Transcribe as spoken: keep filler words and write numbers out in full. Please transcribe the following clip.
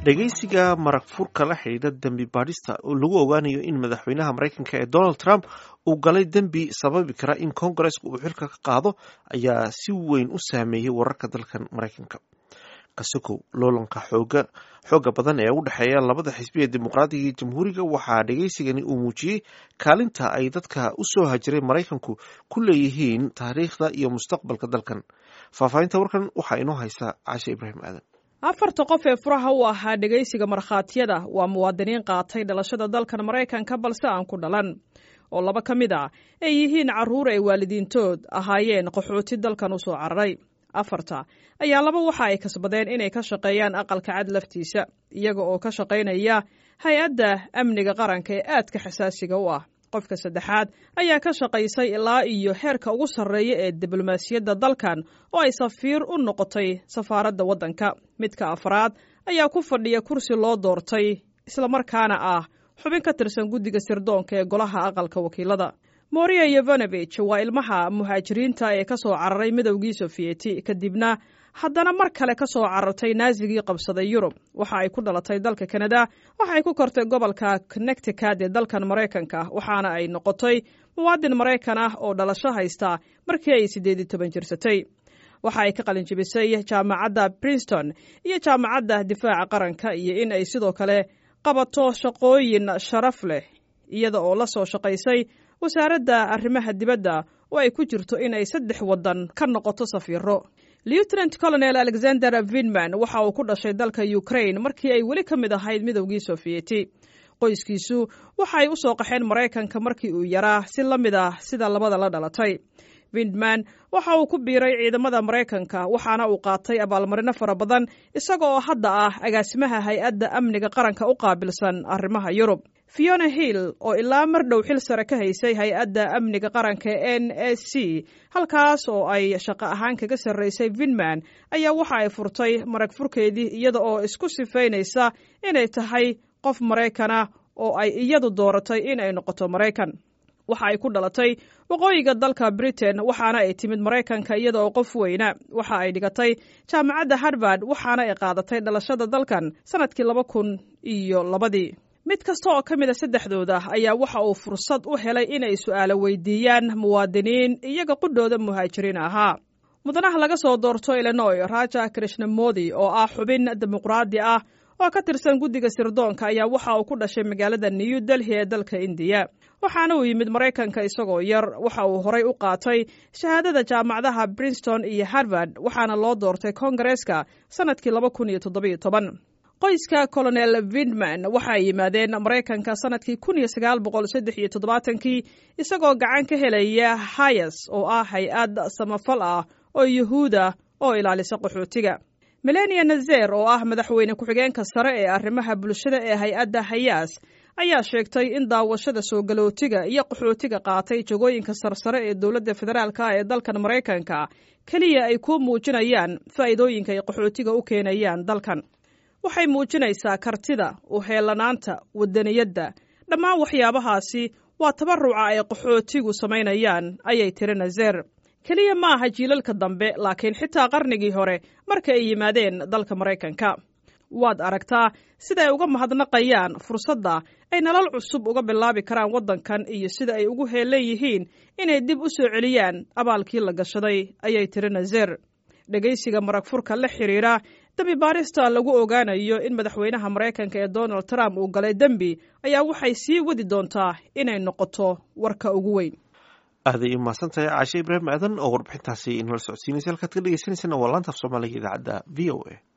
Dhegeysiga marag furka la xidhiidha dembi baadhista oo lagu ogaanayo in madaxweynaha Maraykanka ee Donald Trump uu galay dembi sababi kara in Koongareesku uu xilka ka qaado ayaa si weyn u saameeyey wararka dalkan Maraykanka. Kasokow loolanka xooga xooga badan ee u dhexeeya labada xisbi ee Dimuqraadiga iyo Jamhuuriga, waxaa dhegeysigani uu muujiyey kaalinta ay dadka u soo hajiray Maraykanku ku leeyihiin taariikhda iyo mustaqbalka dalkan. Faahfaahinta warkan waxaa inoo haysa Caashe Ibraahim Aadan. Afarta qof ee furaha u ahaa dhegaysiga markhaatiyada waa muwaadiniin qaatay dhalashada dalkan Maraykanka balse aan ku dhalan, oo laba ka mid a ay yihiin carruur ay waalidiintood ahaayeen qaxooti dalkan u soo cararay. Afarta ayaa laba waxa ay kasbadeen inay ka shaqeeyaan Aqalka Cad laftiisa, iyaga oo ka shaqaynaya Hay-adda Amniga Qaranka ee aadka xasaasiga u ah. Qofka saddexaad ayaa ka shaqaysay ilaa iyo heerka ugu sarreeya ee diblomaasiyadda dalkan, oo ay safiir u noqotay safaaradda waddanka. Midka afraad ayaa ku fadhiya kursi loo doortay, islamarkaana ah xubin ka tirsan guddiga sirdoonka ee golaha Aqalka Wakiilada. Moria Yevanovich waa ilmaha muhaajiriinta ee ka soo cararay Midowgii Sofiyeeti, kadibna haddana mar kale ka soo carartay Naasigii qabsaday Yurub. Waxa ay ku dhalatay dalka Kanada, waxa ay ku kortay gobolka Connecticut ee dalkan Maraykanka, waxaana ay noqotay muwaadin Maraykan ah oo dhalasho haysta markii ay siddeed iyo toban jirsatay. Waxa ay ka qalinjibisay Jaamacadda Princeton iyo Jaamacadda Difaaca Qaranka, iyo in ay sidoo kale qabato shaqooyin sharaf leh, iyada oo la soo shaqaysay Wasaaradda Arrimaha Dibadda oo ay ku jirto in ay saddex waddan ka noqoto safiiro. Lieutenant Colonel Alexander Vinman waxa uu ku dhashay dalka Ukraine markii ay weli ka mid ahayd Midowgii Sofiyeeti. Qoyskiisu waxa ay u soo qaxeen Maraykanka markii uu yaraa, si la mid ah sida labada la dhalatay. Vindman waxa uu ku biiray ciidamada Maraykanka, waxaana uu qaatay abaalmarino fara badan, isaga oo hadda ah agaasimaha Hay-adda Amniga Qaranka u qaabilsan arrimaha Yurub. Fiona Hill oo ilaa mar dhow xil sare ka haysay Hay-adda Amniga Qaranka N S C, halkaas oo ay shaqo ahaan kaga sarraysay Vinman, ayaa waxa ay furtay marag furkeedii iyada oo isku sifaynaysa inay tahay qof Maraykana oo ay iyadu dooratay in ay noqoto Maraykan. Waxa ay ku dhalatay waqooyiga dalka Britain, waxaana ay timid Maraykanka iyada oo qof weyna. Waxa ay dhigatay Jaamacadda Harvard, waxaana ay qaadatay dhalashada dalkan sanadkii laba kun iyo labadii. Mid kasta oo ka mid a saddexdooda ayaa waxa uu fursad u helay inay su'aalo weydiiyaan muwaadiniin iyaga qudhooda muhaajiriin ahaa. Mudanaha laga soo doorto Illinois, Raja Krishnamodi, oo ah xubin dimuqraadi ah oo ka tirsan guddiga sirdoonka, ayaa waxa uu ku dhashay magaalada New Delhi ee dalka Indiya, waxaana uu yimid Maraykanka isagoo yar. Waxa uu horay u qaatay shahaadada jaamacadaha Princeton iyo Harvard, waxaana loo doortay Koongareeska sanadkii laba kun iyo toddobiyo toban. Qoyska Colonel Vindman waxay yimaadeen Maraykanka sanadkii kun iyo sagaal boqol saddex iyo toddobaatankii, isagoo gacan ka helaya HIAS, oo ah hay-ad samafal ah oo Yuhuuda oo ilaalisa qaxootiga. Melania Nazer, oo ah madaxweyne ku-xigeenka sare ee arrimaha bulshada ee hay-adda HIAS, ayaa sheegtay in daawashada soo galootiga iyo qaxootiga qaatay jagooyinka sarsare ee dowladda federaalka ee dalkan Maraykanka keliya ay ku muujinayaan faa'iidooyinka ay qaxootiga u keenayaan dalkan. Waxay muujinaysaa kartida, u heelanaanta, wadaniyadda. Dhammaan waxyaabahaasi waa tabaruca ay qaxootigu samaynayaan, ayay tiri Nazer. Keliya ma aha jiilalka dambe, laakiin xitaa qarnigii hore marka ay yimaadeen dalka Maraykanka, waad aragtaa sida ay uga mahadnaqayaan fursadda ay nolol cusub uga bilaabi karaan waddankan iyo sida ay ugu heelan yihiin inay dib u soo celiyaan abaalkii la gashaday, ayay tiri Nazer. Dhegaysiga marag furka la xiriira dembi baarista lagu ogaanayo in madaxweynaha Maraykanka ee Donald Trump uu galay dembi ayaa waxay sii wadi doontaa inay noqoto warka ugu weyn. Aaday u mahadsan tahay Caashe Ibraahim Aadan oo warbixintaasi inala socodsiinaysa. Halkaad ka dhegeysaneysana waa laanta af Soomaaliga, idaacadda V O A.